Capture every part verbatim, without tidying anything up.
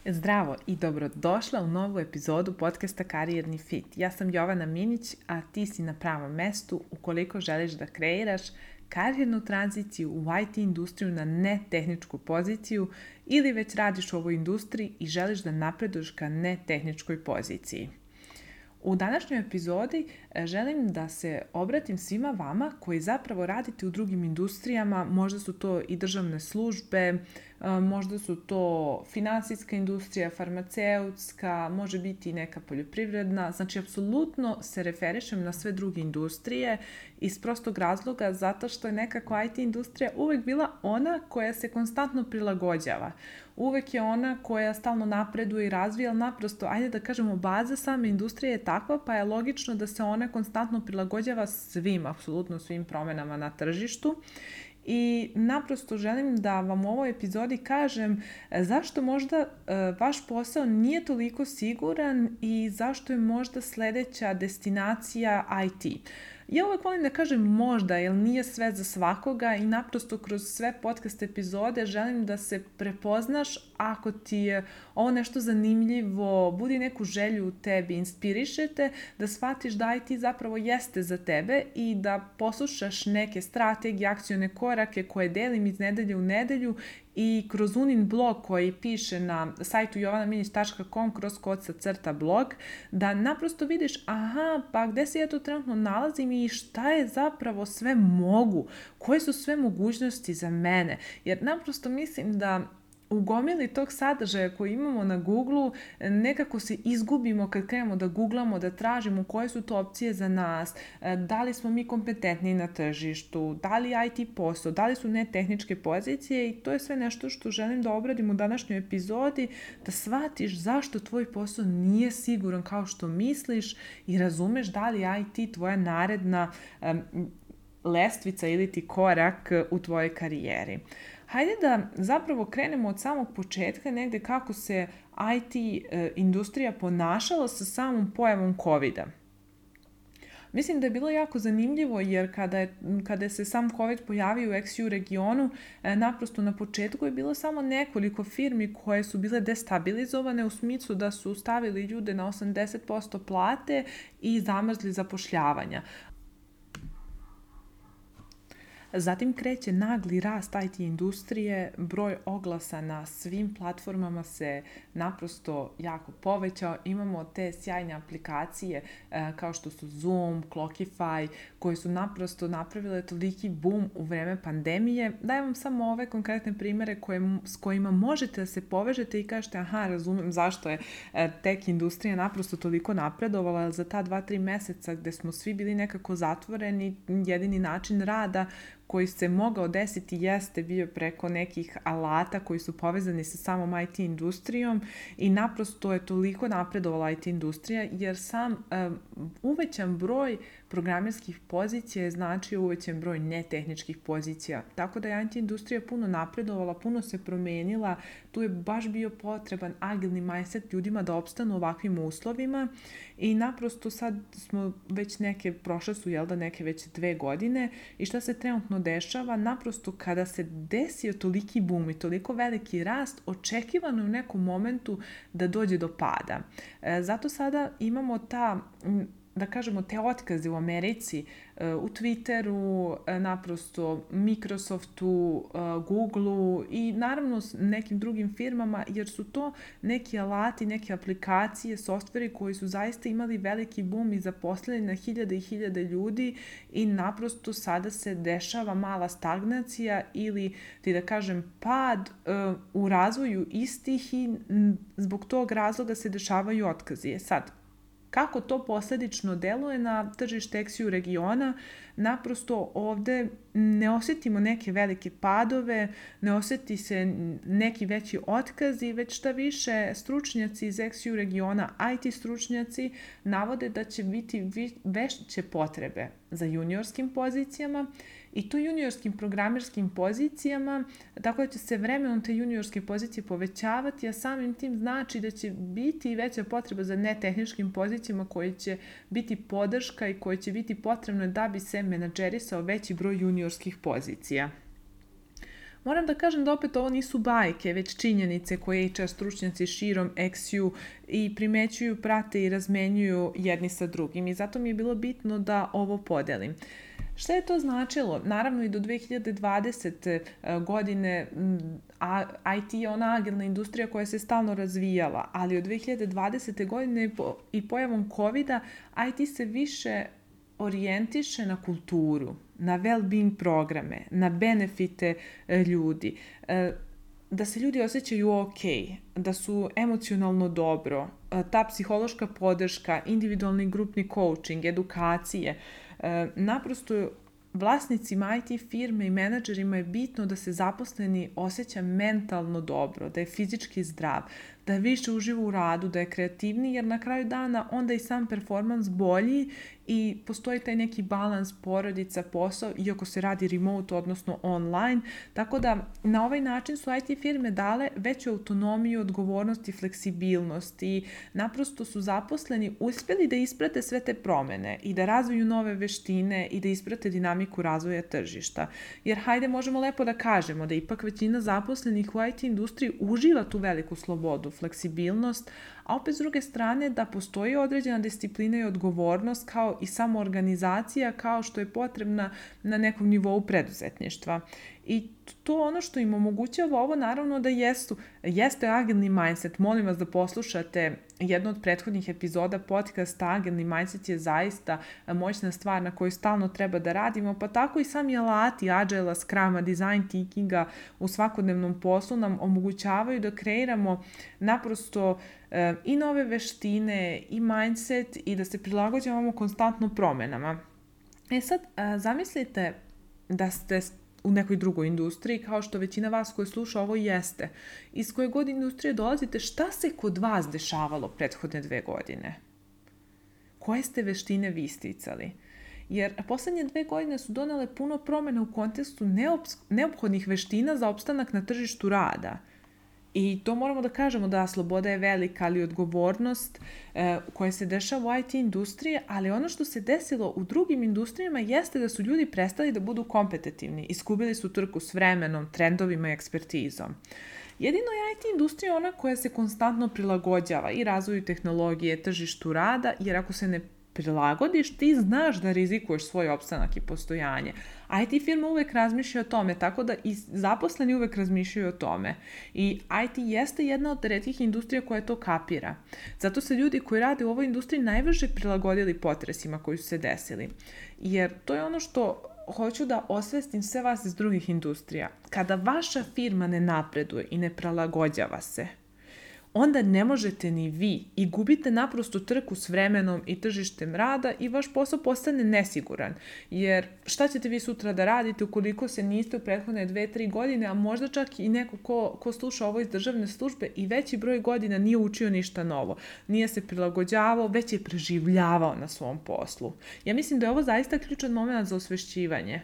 Zdravo i dobrodošla u novu epizodu podcasta Karijerni fit. Ja sam Jovana Minić, a ti si na pravom mestu ukoliko želiš da kreiraš karijernu tranziciju u i te industriju na netehničku poziciju ili već radiš u ovoj industriji i želiš da napreduješ ka netehničkoj poziciji. U današnjoj epizodi želim da se obratim svima vama koji zapravo radite u drugim industrijama, možda su to i državne službe, možda su to finansijska industrija, farmaceutska, može biti i neka poljoprivredna, znači apsolutno se referišem na sve druge industrije iz prostog razloga zato što je nekako i te industrija uvek bila ona koja se konstantno prilagođava. Uvek je ona koja stalno napreduje i razvija, ali naprosto, ajde da kažemo, baza same industrije je takva, pa je logično da se ona konstantno prilagođava svim, apsolutno svim promenama na tržištu. I naprosto želim da vam u ovoj epizodi kažem zašto možda vaš posao nije toliko siguran i zašto je možda sledeća destinacija i te. Ja uvek volim da kažem možda, jer nije sve za svakoga i naprosto kroz sve podcast epizode želim da se prepoznaš ako ti je ovo nešto zanimljivo, budi neku želju u tebi, inspirišete, da shvatiš da i te zapravo jeste za tebe i da poslušaš neke strategije, akcione korake koje delim iz nedelje u nedelju i kroz Unin blog koji piše na sajtu jovana minić tačka com kroz kod crta blog, da naprosto vidiš aha, pa gde se ja to trenutno nalazim i šta je zapravo sve mogu, koje su sve mogućnosti za mene. Jer naprosto mislim da u gomili tog sadržaja koji imamo na Google-u nekako se izgubimo kad krenemo da googlamo, da tražimo koje su to opcije za nas, da li smo mi kompetentni na tržištu, da li i te posao, da li su netehničke pozicije i to je sve nešto što želim da obradim u današnjoj epizodi, da shvatiš zašto tvoj posao nije siguran kao što misliš i razumeš da li i te tvoja naredna um, lestvica ili ti korak u tvojoj karijeri. Hajde da zapravo krenemo od samog početka negde kako se i te e, industrija ponašala sa samom pojavom covida. Mislim da je bilo jako zanimljivo jer kada je, kada se sam COVID pojavio u eks ju regionu, e, naprosto na početku je bilo samo nekoliko firmi koje su bile destabilizovane u smislu da su stavili ljude na osamdeset posto plate i zamrzli zapošljavanja. Zatim kreće nagli rast i te industrije, broj oglasa na svim platformama se naprosto jako povećao. Imamo te sjajne aplikacije e, kao što su Zoom, Clockify, koje su naprosto napravile toliki boom u vreme pandemije. Dajem vam samo ove konkretne primere koje, s kojima možete da se povežete i kažete aha, razumem zašto je e, tech industrija naprosto toliko napredovala za ta dva, tri meseca gde smo svi bili nekako zatvoreni, jedini način rada koji se mogao desiti jeste bio preko nekih alata koji su povezani sa samom i te industrijom i naprosto je toliko napredovala i te industrija jer sam um, uvećan broj programerskih pozicija je značio uvećan broj netehničkih pozicija. Tako da je i te industrija puno napredovala, puno se promenila, tu je baš bio potreban agilni mindset ljudima da opstanu u ovakvim uslovima i naprosto sad smo već neke, prošle su jel da neke već dve godine i šta se trenutno dešava, naprosto kada se desio toliki boom i toliko veliki rast, očekivano je u nekom momentu da dođe do pada. E, zato sada imamo ta, da kažemo, te otkaze u Americi, u Twitteru, naprosto Microsoftu, Googleu i naravno nekim drugim firmama, jer su to neki alati, neke aplikacije, softveri koji su zaista imali veliki boom i zaposlili na hiljade i hiljade ljudi i naprosto sada se dešava mala stagnacija ili, ti da kažem, pad u razvoju istih i zbog tog razloga se dešavaju otkazi. Sad, kako to posledično deluje na tržište eks ju regiona, naprosto ovde ne osjetimo neke velike padove, ne osjeti se neki veći otkazi, već šta više stručnjaci iz eks ju regiona, i te stručnjaci, navode da će biti veće potrebe za juniorskim pozicijama i to juniorskim programerskim pozicijama, tako da će se vremenom te juniorske pozicije povećavati, a samim tim znači da će biti veća potreba za netehničkim pozicijama koje će biti podrška i koje će biti potrebno da bi se menadžerisao veći broj juniorskih pozicija. Moram da kažem da opet ovo nisu bajke, već činjenice koje H R stručnjaci širom X U i primećuju, prate i razmenjuju jedni sa drugim i zato mi je bilo bitno da ovo podelim. Šta je to značilo? Naravno i do dve hiljade dvadesete godine I T je ona agilna industrija koja se stalno razvijala, ali od dve hiljade dvadesete godine i pojavom covida I T se više orijentiše na kulturu, na well-being programe, na benefite ljudi, da se ljudi osjećaju ok, da su emocionalno dobro, ta psihološka podrška, individualni grupni coaching, edukacije. Naprosto vlasnicima I T firme i menadžerima je bitno da se zaposleni osjeća mentalno dobro, da je fizički zdrav, da je više uživa u radu, da je kreativniji, jer na kraju dana onda i sam performans bolji i postoji taj neki balans porodica, posao, iako se radi remote, odnosno online. Tako da na ovaj način su I T firme dale veću autonomiju, odgovornost i fleksibilnost i naprosto su zaposleni uspjeli da isprate sve te promjene i da razviju nove veštine i da isprate dinamiku razvoja tržišta. Jer hajde možemo lepo da kažemo da ipak većina zaposlenih u I T industriji uživa tu veliku slobodu, fleksibilnost, a opet s druge strane da postoji određena disciplina i odgovornost kao i samoorganizacija kao što je potrebna na nekom nivou preduzetništva. I to ono što im omogućava ovo naravno da jesu, jeste agilni mindset. Molim vas da poslušate jednu od prethodnih epizoda podcasta. Agilni mindset je zaista moćna stvar na kojoj stalno treba da radimo, pa tako i sami alati Agile, Scruma, Design Thinkinga u svakodnevnom poslu nam omogućavaju da kreiramo naprosto e, i nove veštine i mindset i da se prilagođavamo konstantno promjenama. E sad, a, zamislite da ste u nekoj drugoj industriji, kao što većina vas koji sluša ovo jeste. Iz koje god industrije dolazite, šta se kod vas dešavalo prethodne dve godine? Koje ste veštine vi isticali? Jer poslednje dve godine su donele puno promjena u kontekstu neophodnih veština za opstanak na tržištu rada. I to moramo da kažemo da sloboda je velika, ali odgovornost e, koja se dešava u I T industriji, ali ono što se desilo u drugim industrijama jeste da su ljudi prestali da budu kompetitivni, izgubili su trku s vremenom, trendovima i ekspertizom. Jedino je I T industrija ona koja se konstantno prilagođava i razvoju tehnologije, tržištu rada, jer ako se ne prilagodiš, ti znaš da rizikuješ svoj opstanak i postojanje. I T firma uvek razmišlja o tome, tako da i zaposleni uvek razmišljaju o tome. I I T jeste jedna od retkih industrija koja to kapira. Zato se ljudi koji rade u ovoj industriji najbrže prilagodili potresima koji su se desili. Jer to je ono što hoću da osvestim sve vas iz drugih industrija. Kada vaša firma ne napreduje i ne prilagođava se, onda ne možete ni vi i gubite naprosto trku s vremenom i tržištem rada i vaš posao postane nesiguran. Jer šta ćete vi sutra da radite ukoliko se niste u prethodne dve, tri godine, a možda čak i neko ko, ko sluša ovo iz državne službe i veći broj godina nije učio ništa novo. Nije se prilagođavao, već je preživljavao na svom poslu. Ja mislim da je ovo zaista ključan moment za osvešćivanje.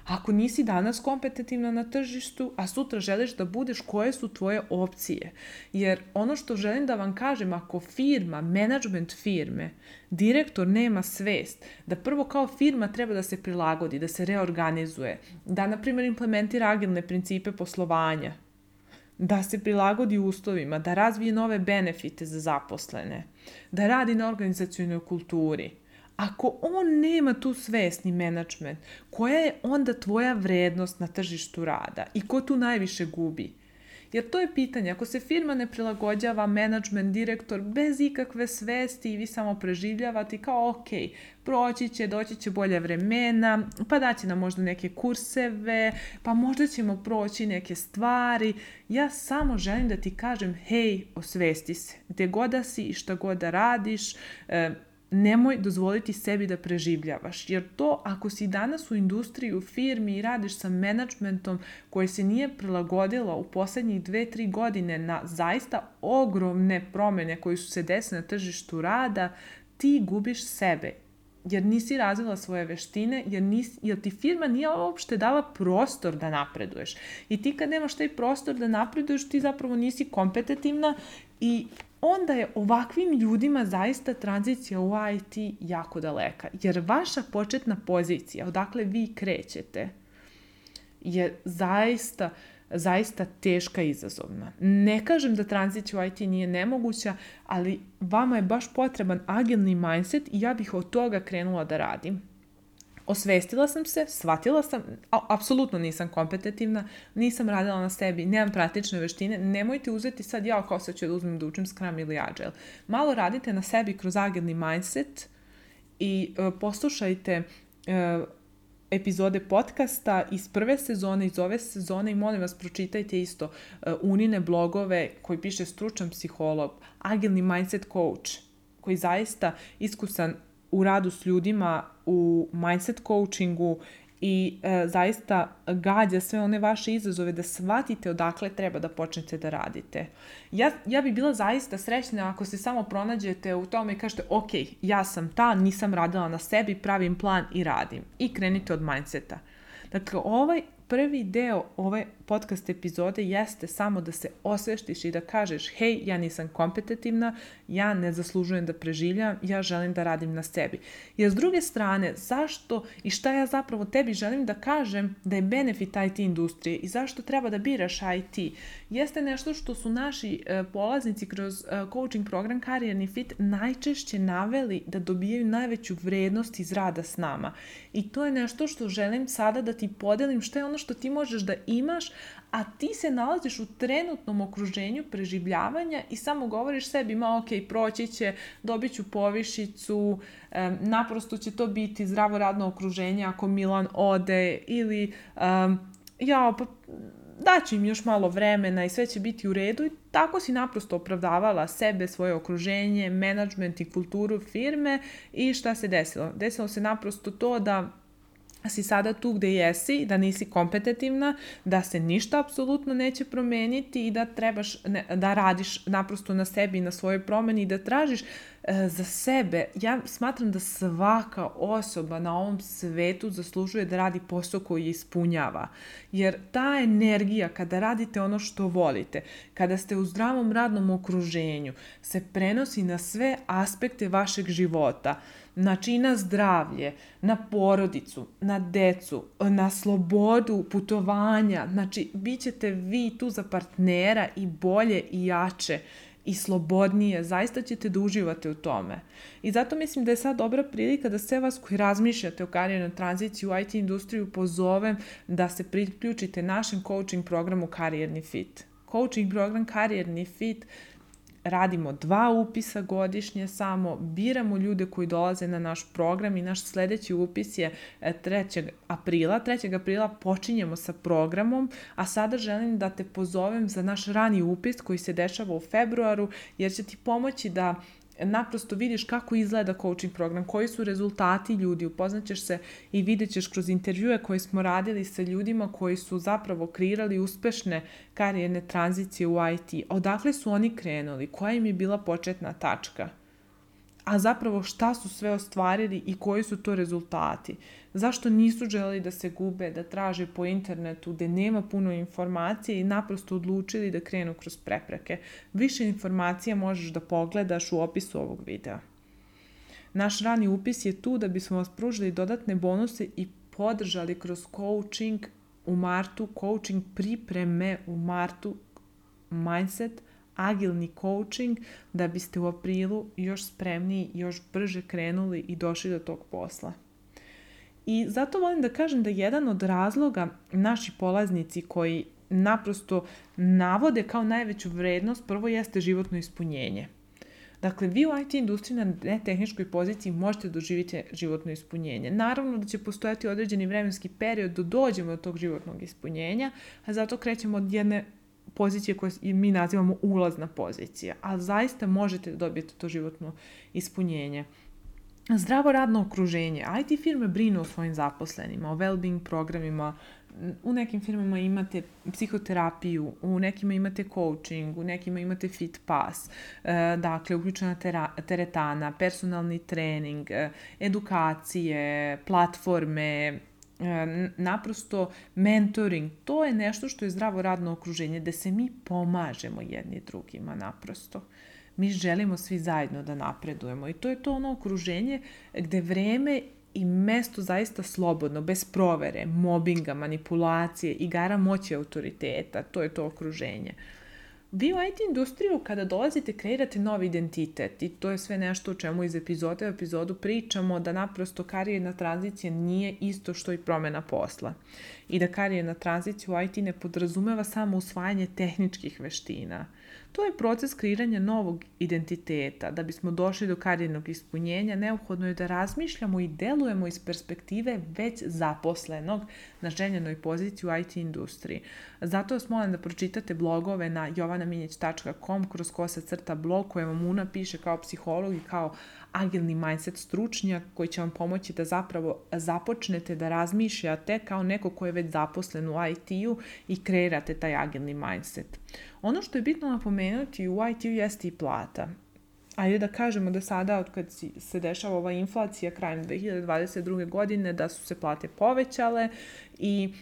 Ako nisi danas kompetitivna na tržištu, a sutra želiš da budeš, koje su tvoje opcije? Jer ono što želim da vam kažem, ako firma, menadžment firme, direktor nema svest da prvo kao firma treba da se prilagodi, da se reorganizuje, da na primjer implementira agilne principe poslovanja, da se prilagodi uslovima, da razvije nove benefite za zaposlene, da radi na organizacionoj kulturi. Ako on nema tu svest ni menadžment, koja je onda tvoja vrednost na tržištu rada i ko tu najviše gubi? Jer to je pitanje, ako se firma ne prilagođava, menadžment, direktor, bez ikakve svesti i vi samo preživljavate kao ok, proći će, doći će bolje vremena, pa daće nam možda neke kurseve, pa možda ćemo proći neke stvari. Ja samo želim da ti kažem, hej, osvesti se, gde god da si i šta god da radiš, e, nemoj dozvoliti sebi da preživljavaš, jer to ako si danas u industriji, u firmi i radiš sa menadžmentom koji se nije prilagodilo u posljednjih dve, tri godine na zaista ogromne promjene koje su se desile na tržištu rada, ti gubiš sebe jer nisi razvila svoje veštine, jer, nisi, jer ti firma nije uopšte dala prostor da napreduješ. I ti kad nemaš taj prostor da napreduješ, ti zapravo nisi kompetitivna i onda je ovakvim ljudima zaista tranzicija u I T jako daleka. Jer vaša početna pozicija, odakle vi krećete, je zaista, zaista teška i izazovna. Ne kažem da tranzicija u I T nije nemoguća, ali vama je baš potreban agilni mindset i ja bih od toga krenula da radim. Osvestila sam se, shvatila sam, a, apsolutno nisam kompetitivna, nisam radila na sebi, nemam praktične veštine, nemojte uzeti sad ja kao sad ću da uzmem da učim Scrum ili Agile. Malo radite na sebi kroz agilni mindset i uh, poslušajte uh, epizode podcasta iz prve sezone, iz ove sezone i molim vas pročitajte isto uh, Unine blogove koji piše stručan psiholog, agilni mindset coach koji zaista iskusan u radu s ljudima, u mindset coachingu i e, zaista gađa sve one vaše izazove da shvatite odakle treba da počnete da radite. Ja, ja bi bila zaista srećna ako se samo pronađete u tome i kažete ok, ja sam ta, nisam radila na sebi, pravim plan i radim. I krenite od mindseta. Dakle, ovaj prvi deo ove podcast epizode jeste samo da se osveštiš i da kažeš hej, ja nisam kompetitivna, ja ne zaslužujem da preživljam, ja želim da radim na sebi. Jer s druge strane, zašto i šta ja zapravo tebi želim da kažem da je benefit I T industrije i zašto treba da biraš I T, jeste nešto što su naši e, polaznici kroz e, coaching program Karijerni fit najčešće naveli da dobijaju najveću vrednost iz rada s nama. I to je nešto što želim sada da ti podelim, što je ono što ti možeš da imaš, a ti se nalaziš u trenutnom okruženju preživljavanja i samo govoriš sebi, ma ok, proći će, dobit ću povišicu, um, naprosto će to biti zdravo radno okruženje ako Milan ode ili um, ja, pa daću im još malo vremena i sve će biti u redu i tako si naprosto opravdavala sebe, svoje okruženje, menadžment i kulturu firme i šta se desilo? Desilo se naprosto to da si sada tu gde jesi, da nisi kompetitivna, da se ništa apsolutno neće promeniti i da trebaš ne, da radiš naprosto na sebi i na svojoj promeni i da tražiš e, za sebe. Ja smatram da svaka osoba na ovom svetu zaslužuje da radi posao koji je ispunjava. Jer ta energija kada radite ono što volite, kada ste u zdravom radnom okruženju, se prenosi na sve aspekte vašeg života. Znači na zdravlje, na porodicu, na decu, na slobodu putovanja. Znači, bit ćete vi tu za partnera i bolje i jače i slobodnije. Zaista ćete da uživate u tome. I zato mislim da je sad dobra prilika da sve vas koji razmišljate o karijernoj tranziciji u I T industriju pozovem da se priključite našem coaching programu Karijerni fit. Coaching program Karijerni fit radimo dva upisa godišnje samo, biramo ljude koji dolaze na naš program i naš sljedeći upis je trećeg aprila. trećeg aprila počinjemo sa programom, a sada želim da te pozovem za naš rani upis koji se dešava u februaru, jer će ti pomoći da naprosto vidiš kako izgleda coaching program, koji su rezultati ljudi, upoznat ćeš se i vidjet ćeš kroz intervjue koje smo radili sa ljudima koji su zapravo kreirali uspešne karijerne tranzicije u I T. Odakle su oni krenuli, koja im je bila početna tačka, a zapravo šta su sve ostvarili i koji su to rezultati. Zašto nisu želeli da se gube, da traže po internetu, gde nema puno informacije i naprosto odlučili da krenu kroz prepreke. Više informacija možeš da pogledaš u opisu ovog videa. Naš rani upis je tu da bismo vas pružili dodatne bonuse i podržali kroz coaching u martu, coaching pripreme u martu, mindset, agilni coaching, da biste u aprilu još spremniji, još brže krenuli i došli do tog posla. I zato volim da kažem da jedan od razloga naši polaznici koji naprosto navode kao najveću vrednost, prvo jeste životno ispunjenje. Dakle, vi u I T industriji na netehničkoj poziciji možete doživjeti životno ispunjenje. Naravno da će postojati određeni vremenski period da dođemo do tog životnog ispunjenja, a zato krećemo od jedne pozicije koje mi nazivamo ulazna pozicija, ali zaista možete dobiti to životno ispunjenje. Zdravo radno okruženje. I T firme brinu o svojim zaposlenima, o well-being programima U nekim firmama imate psihoterapiju, u nekima imate coaching, u nekima imate fit pass, dakle uključena teretana, personalni trening, edukacije, platforme, naprosto mentoring. To je nešto što je zdravo radno okruženje gde se mi pomažemo jedni drugima naprosto. Mi želimo svi zajedno da napredujemo i to je to ono okruženje gde vreme i mesto zaista slobodno, bez provere, mobinga, manipulacije, igara moći autoriteta. To je to okruženje. Vi u I T industriju kada dolazite kreirate novi identitet i to je sve nešto o čemu iz epizode u epizodu pričamo, da naprosto karijerna tranzicija nije isto što i promjena posla i da karijerna tranzicija u I T ne podrazumeva samo usvajanje tehničkih veština. To je proces kreiranja novog identiteta. Da bismo došli do karijernog ispunjenja, neophodno je da razmišljamo i delujemo iz perspektive već zaposlenog na željenoj poziciji u I T industriji. Zato vas molim da pročitate blogove na jovana minjeć tačka com kroz kosa crta blog koje vam Una piše kao psiholog i kao agilni mindset stručnjak koji će vam pomoći da zapravo započnete da razmišljate kao neko ko je već zaposlen u I T-u i kreirate taj agilni mindset. Ono što je bitno napomenuti u I T-u jeste i plata. Ajde da kažemo da sada, od kad se dešava ova inflacija krajem dve hiljade dvadeset druge. godine, da su se plate povećale i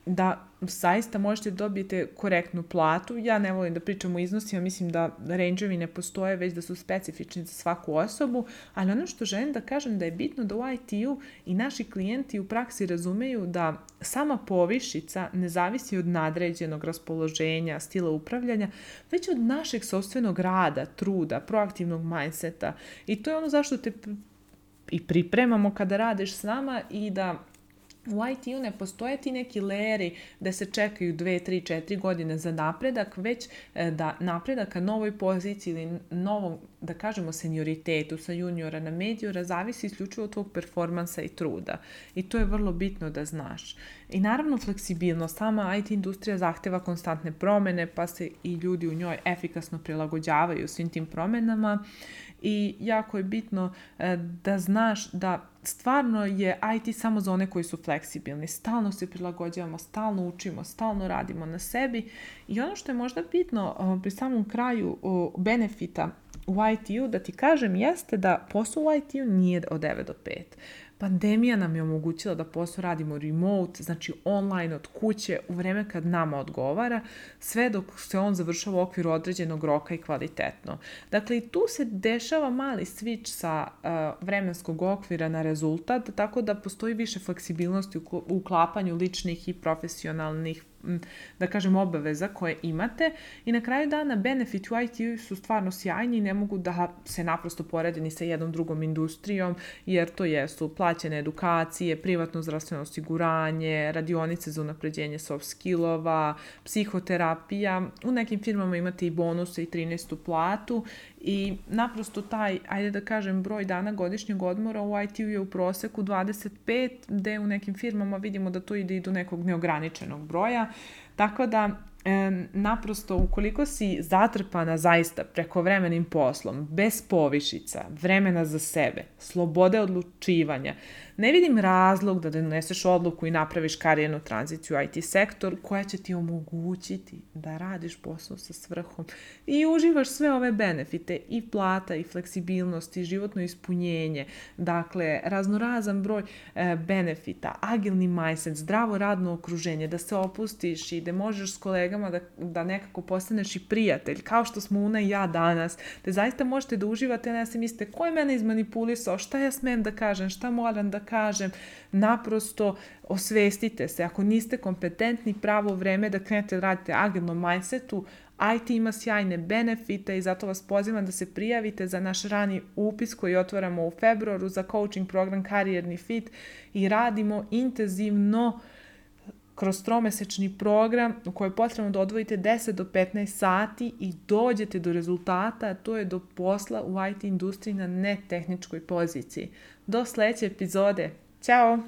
da zaista možete dobiti korektnu platu. Ja ne volim da pričam o iznosima, mislim da range-ovi ne postoje, već da su specifični za svaku osobu, ali ono što želim da kažem da je bitno da u I T-u i naši klijenti u praksi razumeju da sama povišica ne zavisi od nadređenog raspoloženja, stila upravljanja, već od našeg sopstvenog rada, truda, proaktivnog mindseta. I to je ono zašto te i pripremamo kada radiš s nama i da u I T-u ne postoje ti neki layeri da se čekaju dve, tri, četiri godine za napredak, već da napredak ka novoj poziciji ili novom, da kažemo, senioritetu sa juniora na mediora zavisi isključivo od tvog performansa i truda. I to je vrlo bitno da znaš. I naravno fleksibilnost. Sama I T industrija zahteva konstantne promene, pa se i ljudi u njoj efikasno prilagođavaju svim tim promenama. I jako je bitno da znaš da stvarno je I T samo za one koji su fleksibilni. Stalno se prilagođavamo, stalno učimo, stalno radimo na sebi. I ono što je možda bitno pri samom kraju benefita u I T-u, da ti kažem, jeste da posao u I T-u nije od devet do pet. Pandemija nam je omogućila da posao radimo remote, znači online od kuće u vreme kad nama odgovara, sve dok se on završava u okviru određenog roka i kvalitetno. Dakle, i tu se dešava mali switch sa uh, vremenskog okvira na rezultat, tako da postoji više fleksibilnosti u uklapanju ličnih i profesionalnih, da kažem, obaveza koje imate i na kraju dana benefit u I T-u su stvarno sjajni i ne mogu da se naprosto porede ni sa jednom drugom industrijom, jer to jesu plaćene edukacije, privatno zdravstveno osiguranje, radionice za unapređenje soft skillova, psihoterapija, u nekim firmama imate i bonuse i trinaestu platu i naprosto taj, ajde da kažem, broj dana godišnjeg odmora u I T-u je u proseku dvadeset pet, gde u nekim firmama vidimo da to ide i do nekog neograničenog broja. Tako da, e, naprosto, ukoliko si zatrpana zaista prekovremenim poslom, bez povišica, vremena za sebe, slobode odlučivanja, ne vidim razlog da doneseš odluku i napraviš karijernu tranziciju u I T sektor koja će ti omogućiti da radiš posao sa svrhom i uživaš sve ove benefite i plata i fleksibilnost i životno ispunjenje. Dakle, raznorazan broj e, benefita, agilni mindset, zdravo radno okruženje, da se opustiš i da možeš s kolegama da, da nekako postaneš i prijatelj, kao što smo Una i ja danas, da zaista možete da uživate, ne se mislite ko je mene izmanipulisao, šta ja smem da kažem, šta moram da kažem, naprosto osvestite se. Ako niste kompetentni, pravo vreme da krenete da radite agilnom mindsetu, I T ima sjajne benefite i zato vas pozivam da se prijavite za naš rani upis koji otvaramo u februaru za coaching program Karijerni fit i radimo intenzivno kroz tromesečni program u kojoj je potrebno da odvojite deset do petnaest sati i dođete do rezultata, to je do posla u I T industriji na netehničkoj poziciji. Do sledeće epizode. Ćao!